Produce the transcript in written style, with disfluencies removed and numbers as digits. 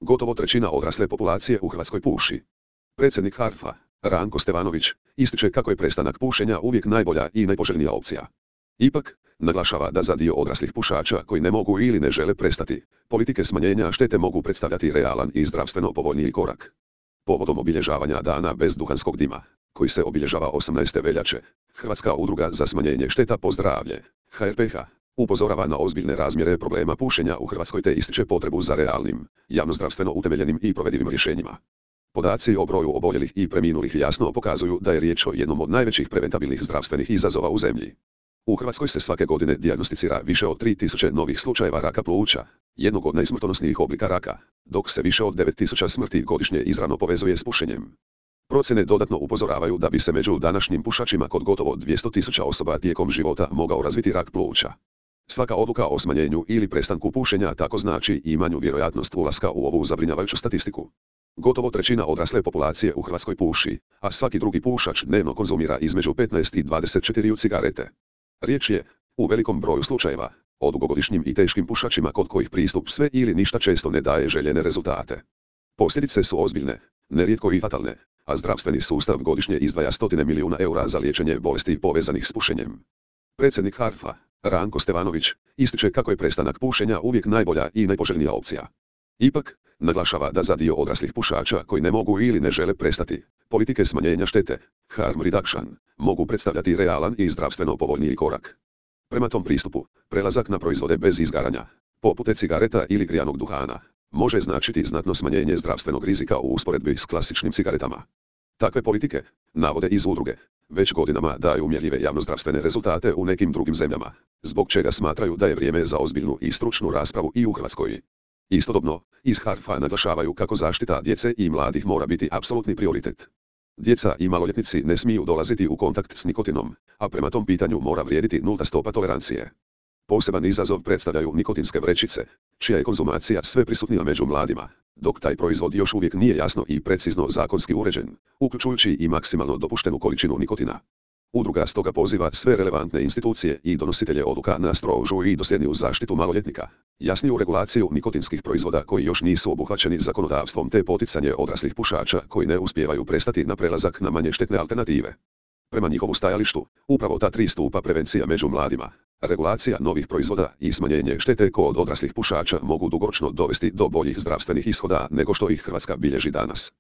Gotovo trećina odrasle populacije u Hrvatskoj puši. Predsjednik HARF-a, Ranko Stevanović, ističe kako je prestanak pušenja uvijek najbolja i najpoželjnija opcija. Ipak, naglašava da za dio odraslih pušača koji ne mogu ili ne žele prestati, politike smanjenja štete mogu predstavljati realan i zdravstveno povoljniji korak. Povodom obilježavanja dana bez duhanskog dima, koji se obilježava 18. veljače, Hrvatska udruga za smanjenje šteta po zdravlje, HRPH, upozorava na ozbiljne razmjere problema pušenja u Hrvatskoj te ističe potrebu za realnim, javnozdravstveno utemeljenim i provedivim rješenjima. Podaci o broju oboljelih i preminulih jasno pokazuju da je riječ o jednom od najvećih preventabilnih zdravstvenih izazova u zemlji. U Hrvatskoj se svake godine dijagnosticira više od 3000 novih slučajeva raka pluća, jednog od najsmrtonosnijih oblika raka, dok se više od 9000 smrti godišnje izravno povezuje s pušenjem. Procjene dodatno upozoravaju da bi se među današnjim pušačima kod gotovo 200.000 osoba tijekom života mogao razviti rak pluća. Svaka odluka o smanjenju ili prestanku pušenja tako znači i manju vjerojatnost ulaska u ovu zabrinjavajuću statistiku. Gotovo trećina odrasle populacije u Hrvatskoj puši, a svaki drugi pušač dnevno konzumira između 15 i 24 cigarete. Riječ je, u velikom broju slučajeva, o dugogodišnjim i teškim pušačima kod kojih pristup sve ili ništa često ne daje željene rezultate. Posljedice su ozbiljne, nerijetko i fatalne, a zdravstveni sustav godišnje izdvaja stotine milijuna eura za liječenje bolesti povezanih s pušenjem. Predsjednik HARF-a, Ranko Stevanović, ističe kako je prestanak pušenja uvijek najbolja i najpoželjnija opcija. Ipak, naglašava da za dio odraslih pušača koji ne mogu ili ne žele prestati, politike smanjenja štete, harm reduction, mogu predstavljati realan i zdravstveno povoljniji korak. Prema tom pristupu, prelazak na proizvode bez izgaranja, poput cigareta ili grijanog duhana, može značiti znatno smanjenje zdravstvenog rizika u usporedbi s klasičnim cigaretama. Takve politike, navode iz udruge, već godinama daju mjerljive javnozdravstvene rezultate u nekim drugim zemljama, zbog čega smatraju da je vrijeme za ozbiljnu i stručnu raspravu i u Hrvatskoj. Istodobno, iz HARF-a naglašavaju kako zaštita djece i mladih mora biti apsolutni prioritet. Djeca i maloljetnici ne smiju dolaziti u kontakt s nikotinom, a prema tom pitanju mora vrijediti nulta stopa tolerancije. Poseban izazov predstavljaju nikotinske vrećice, čija je konzumacija sve prisutnija među mladima, dok taj proizvod još uvijek nije jasno i precizno zakonski uređen, uključujući i maksimalno dopuštenu količinu nikotina. Udruga stoga poziva sve relevantne institucije i donositelje odluka na strožu i dosljedniju zaštitu maloljetnika, jasniju regulaciju nikotinskih proizvoda koji još nisu obuhvaćeni zakonodavstvom te poticanje odraslih pušača koji ne uspijevaju prestati na prelazak na manje štetne alternative. Prema njihovu stajalištu, upravo ta tri stupa prevencija među mladima, regulacija novih proizvoda i smanjenje štete kod odraslih pušača mogu dugoročno dovesti do boljih zdravstvenih ishoda nego što ih Hrvatska bilježi danas.